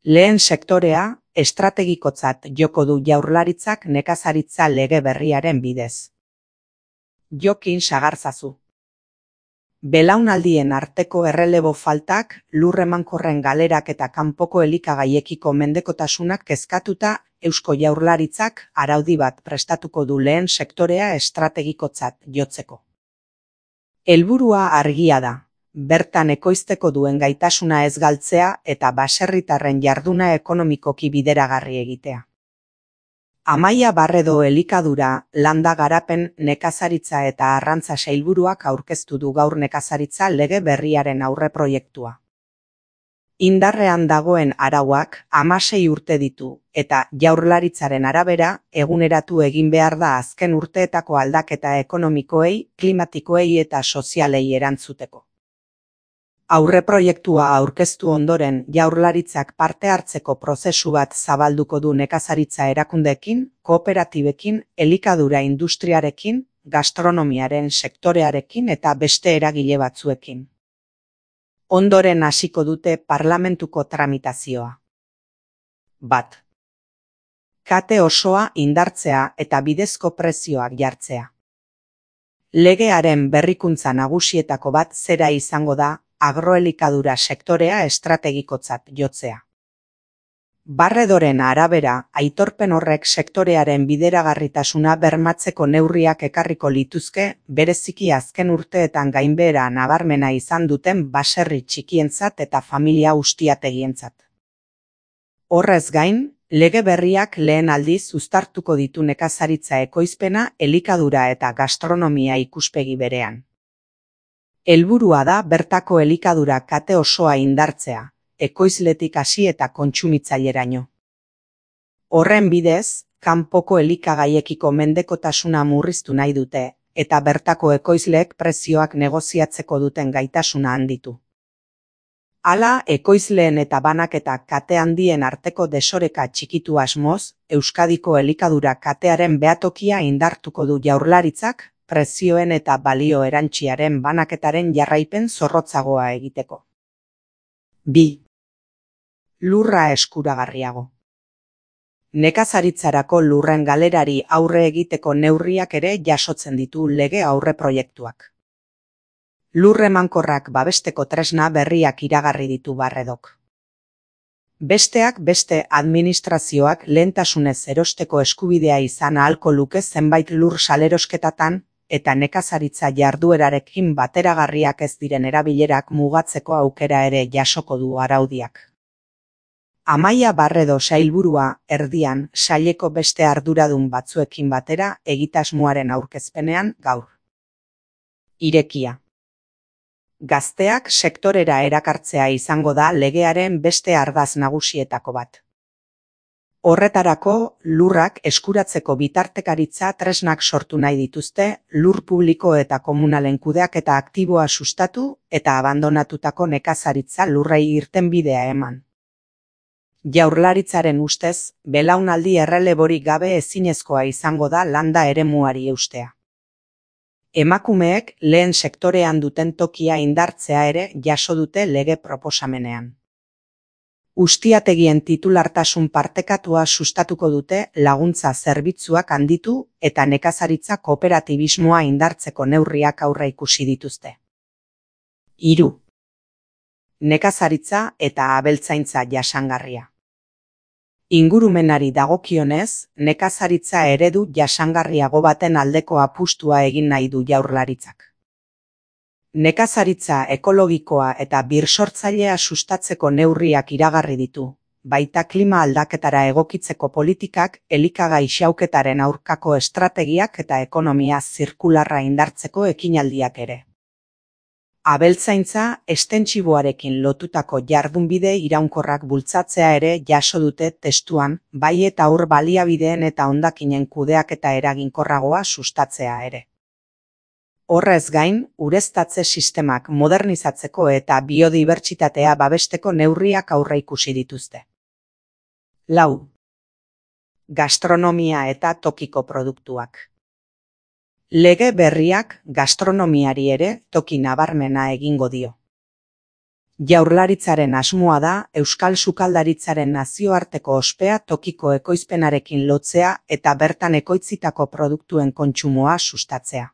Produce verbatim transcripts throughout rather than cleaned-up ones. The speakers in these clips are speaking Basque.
Lehen sektorea estrategikotzat joko du Jaurlaritzak nekazaritza lege berriaren bidez. Jokin sagarzazu. Belaunaldien arteko errelebo faltak, lur emankorren galerak eta kanpoko elikagaiekiko mendekotasunak kezkatuta, Eusko Jaurlaritzak araudi bat prestatuko du lehen sektorea estrategikotzat jotzeko. Helburua argia da, bertan ekoizteko duen gaitasuna ez galtzea eta baserritarren jarduna ekonomikoki bideragarri egitea. Amaia Barredo elikadura, landa garapen, nekazaritza eta arrantza sailburuak aurkeztu du gaur nekazaritza lege berriaren aurreproiektua. Indarrean dagoen arauak hamasei urte ditu eta Jaurlaritzaren arabera eguneratu egin behar da azken urteetako aldaketa ekonomikoei, klimatikoei eta sozialei erantzuteko. Aurreproiektua aurkeztu ondoren Jaurlaritzak parte hartzeko prozesu bat zabalduko du nekazaritza erakundeekin, kooperatibekin, elikadura industriarekin, gastronomiaren sektorearekin eta beste eragile batzuekin. Ondoren hasiko dute parlamentuko tramitazioa. Bat. Kate osoa indartzea eta bidezko prezioak jartzea. Legearen berrikuntza nagusietako bat zera izango da agroelikadura sektorea estrategikotzat jotzea. Barredoren arabera, aitorpen horrek sektorearen bideragarritasuna bermatzeko neurriak ekarriko lituzke, bereziki azken urteetan gainbehera nabarmena izan duten baserri txikientzat eta familia ustiategientzat. Horrez gain, lege berriak lehen aldiz uztartuko ditu nekazaritza ekoizpena, elikadura eta gastronomia ikuspegi berean. Helburua da bertako elikadura kate osoa indartzea, ekoizletik hasi eta kontsumitzaileraino. Horren bidez, kanpoko elikagaiekiko mendekotasuna murriztu nahi dute, eta bertako ekoizleek prezioak negoziatzeko duten gaitasuna handitu. Hala, ekoizleen eta banaketa kate handien arteko desoreka txikitu asmoz, Euskadiko elikadura katearen behatokia indartuko du Jaurlaritzak, prezioen eta balio erantziaren banaketaren jarraipen zorrotzagoa egiteko. Bi. Lurra eskuragarriago. Nekazaritzarako lurren galerari aurre egiteko neurriak ere jasotzen ditu lege aurreproiektuak. Lur emankorrak babesteko tresna berriak iragarri ditu Barredok. Besteak beste administrazioak lehentasunez erosteko eskubidea izan ahalko luke zenbait lur salerosketatan, eta nekazaritza jarduerarekin bateragarriak ez diren erabilerak mugatzeko aukera ere jasoko du araudiak. Amaia Barredo sailburua erdian saileko beste arduradun batzuekin batera egitasmoaren aurkezpenean gaur. Irekia. Gazteak sektorera erakartzea izango da legearen beste ardatz nagusietako bat. Horretarako, lurrak eskuratzeko bitartekaritza tresnak sortu nahi dituzte, lur publiko eta komunalen kudeaketa aktiboa sustatu eta abandonatutako nekazaritza lurrei irtenbidea eman. Jaurlaritzaren ustez, belaunaldi erreleborik gabe ezinezkoa izango da landa eremuari eustea. Emakumeek lehen sektorean duten tokia indartzea ere jaso dute lege proposamenean. Ustiategien titulartasun partekatua sustatuko dute laguntza zerbitzuak handitu eta nekazaritza kooperatibismoa indartzeko neurriak aurre ikusi dituzte. Hiru. Nekazaritza eta abeltzaintza jasangarria. Ingurumenari dagokionez, nekazaritza eredu jasangarriago baten aldeko apustua egin nahi du Jaurlaritzak. Nekazaritza ekologikoa eta birsortzailea sustatzeko neurriak iragarri ditu, baita klima aldaketara egokitzeko politikak, elikagai xauketaren aurkako estrategiak eta ekonomia zirkularra indartzeko ekinaldiak ere. Abeltzaintza estentsiboarekin lotutako jardunbide iraunkorrak bultzatzea ere jaso dute testuan, bai eta ur baliabideen eta hondakinen kudeaketa eraginkorragoa sustatzea ere. Horrez gain, ureztatze sistemak modernizatzeko eta biodibertsitatea babesteko neurriak aurreikusi dituzte. Lau. Gastronomia eta tokiko produktuak. Lege berriak gastronomiari ere toki nabarmena egingo dio. Jaurlaritzaren asmoa da euskal sukaldaritzaren nazioarteko ospea tokiko ekoizpenarekin lotzea eta bertan ekoitzitako produktuen kontsumoa sustatzea.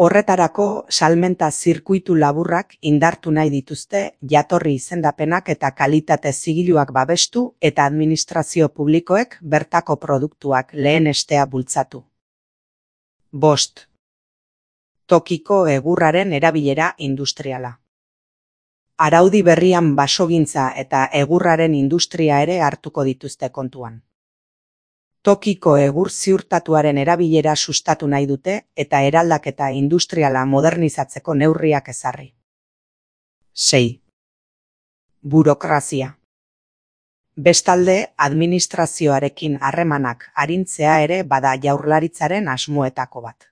Horretarako, salmenta zirkuitu laburrak indartu nahi dituzte jatorri izendapenak eta kalitate zigiluak babestu eta administrazio publikoek bertako produktuak lehenestea bultzatu. Bost. Tokiko egurraren erabilera industriala. Araudi berrian basogintza eta egurraren industria ere hartuko dituzte kontuan. Tokiko egur ziurtatuaren erabilera sustatu nahi dute eta eraldaketa industriala modernizatzeko neurriak ezarri. Sei. Burokrazia. Bestalde, administrazioarekin harremanak arintzea ere bada Jaurlaritzaren asmoetako bat.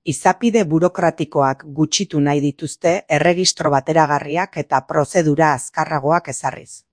Izapide burokratikoak gutxitu nahi dituzte erregistro bateragarriak eta prozedura azkarragoak ezarriz.